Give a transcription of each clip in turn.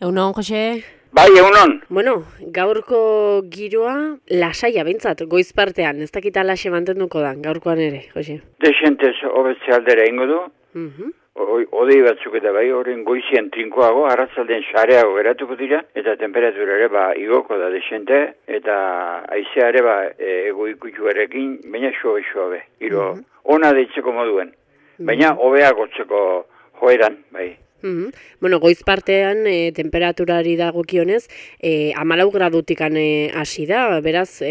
Egunon, Jose? Bai, egunon. Bueno, gaurko giroa lasaia behintzat, goiz partean, ez dakit alaxe mantenduko da, gaurkoan ere, Jose? Desentez hobetze aldera ingo du. Odei batzuk eta bai, horren goizien trinkoago, arratzalden sareago geratuko dira, eta temperatura ere igoko da desente, eta aizea ere ego ikutuarekin, baina xobe. Giro, ona deitzeko moduen, baina hobea gotzeko joeran, bai. Bueno, goiz partean temperaturari dagokionez 14 gradutik hasi da, beraz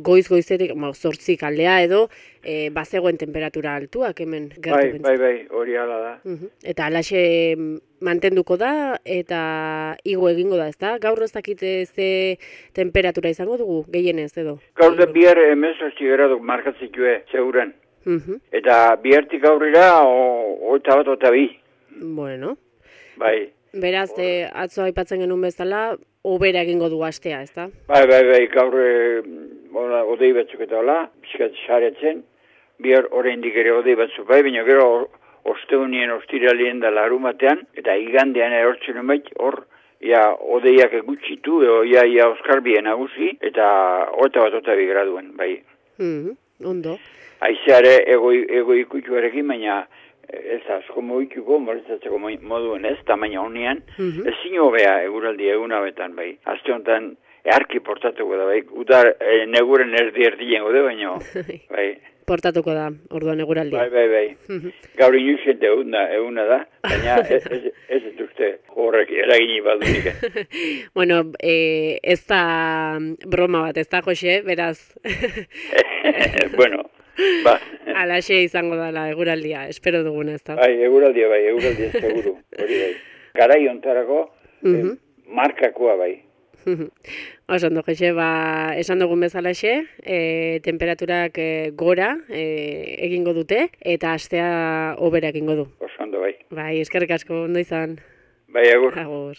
goizetik 8 aldea edo bazegoen temperatura altuak hemen gertu. Bai, hori hala da. Eta alaxe mantenduko da eta igo egingo da, ezta? Gaur ez dakit ze temperatura izango dugu gehienez edo. Gaur da bihar 18 gradu markatzitue zeuren. Eta bihartik aurrera 21-22. Bueno. Bai. Beraz, atzo aipatzen genuen bezala, hobera egingo du astea, ezta? Bai, gaur odei batzuk eta hola, pixkat saretzen, bihar oraindik ere odei batzuk bai, baina gero osteunien ostiralien da larumatean, eta igandean erortzen bait, hor, odeiak gutxitu, ia Oskarbien nagusi, eta 21-22 graduen, bai. Ondo. Aizeare ego ikutuarekin, baina ez asko moituko, molestatzeko moduen ez, tamaina honean, ezin hobea eguraldi egunabetan, bai. Aste honetan, earki portatuko da, bai. Udar neguren erdien gode, baina, bai. Portatuko da, orduan eguraldia. Bai. Gaur inusen eguna da, baina ez duzte horrek eragini badunik. Bueno, ez da broma bat, ez da, Jose, beraz. Bueno. Alaxe izango dela eguraldia, espero duguna, ez da? Bai, eguraldia seguru, hori bai. Garai ontarako, markakoa bai. Osondo, Jose, esan dugun bezalaxe, temperaturak gora egingo dute, eta astea hobera egingo du. Osondo, bai. Bai, eskerrik asko, ondo izan. Bai, agur. Agur.